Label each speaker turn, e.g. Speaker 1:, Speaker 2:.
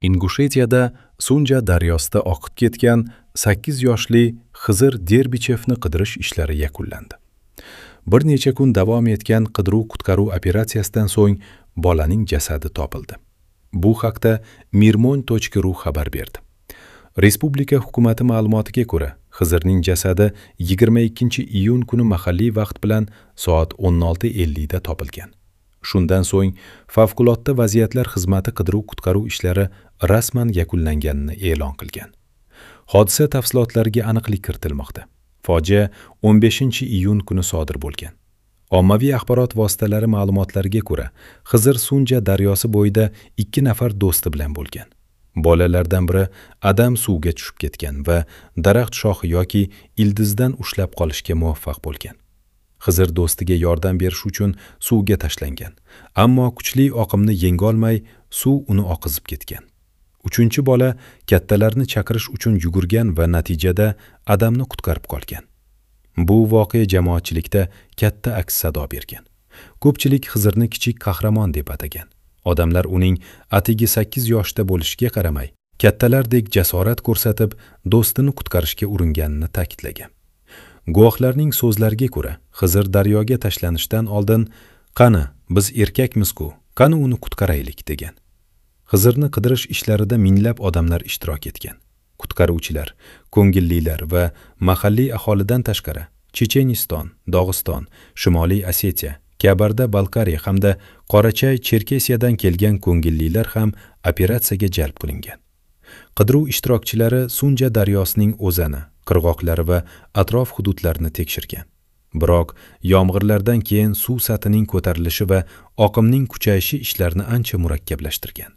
Speaker 1: Ingushetiyada Sunja daryosida oqib ketgan 8 yoshli Xizr Derbichevni qidirish ishlari yakunlandi. Bir necha kun davom etgan qidiruv-qutqaruv operatsiyasidan so'ng bolaning jasadi topildi. Bu haqda mirmon.ru xabar berdi. Respublika hukumati ma'lumotiga ko'ra, Xizrning jasadi 22-iyun kuni mahalliy vaqt bilan soat 16:50 da topilgan. Shundan so'ng Favqulodda vaziyatlar xizmati qidiruv-qutqaruv ishlari rasman yakunlanganini e'lon qilgan. Hodisa tafsilotlariga aniqlik kiritilmoqda. Fojia 15-iyun kuni sodir bo'lgan. Ommaviy axborot vositalari ma'lumotlariga ko'ra, Xizr Sunja daryosi bo'yida 2 nafar do'sti bilan bo'lgan. Bolalardan biri Adam suvga tushib ketgan va daraxt shoxi yoki ildizdan ushlab qolishga muvaffaq bo'lgan. Xizr do'stiga yordam berish uchun suvga tashlangan, ammo kuchli oqimni yengolmay suv uni oqizib ketgan. Uchinchi bola kattalarni chaqirish uchun yugurgan va natijada Adamni qutqarib qolgan. Bu voqea jamoatchilikda katta aks-sado bergan. Ko'pchilik Xizrni kichik qahramon deb atagan. Odamlar uning atigi 8 yoshda bo'lishiga qaramay, kattalardek jasorat ko'rsatib, do'stini qutqarishga uringanini ta'kidlagan. Guvohlarning so'zlariga ko'ra, Xizr daryoga tashlanishdan oldin "Qani, biz erkakmiz-ku, qani uni qutqaraylik" degan. Xizrni qidirish ishlarida minglab odamlar ishtirok etgan. Qutqaruvchilar, ko'ngillilar va mahalliy aholidan tashqari Checheniston, Dog'iston, Shimoliy Osetiya, Kabarda-Balkariya hamda Qorachay-Cherkesiyadan kelgan ko'ngillilar ham operatsiyaga jalb qilingan. Qidiruv ishtirokchilari Sunja daryosining o'zani, qirg'oqlari va atrof hududlarini tekshirgan. Biroq yomg'irlardan keyin suv sathining ko'tarilishi va oqimning kuchayishi ishlarni ancha murakkablashtirgan.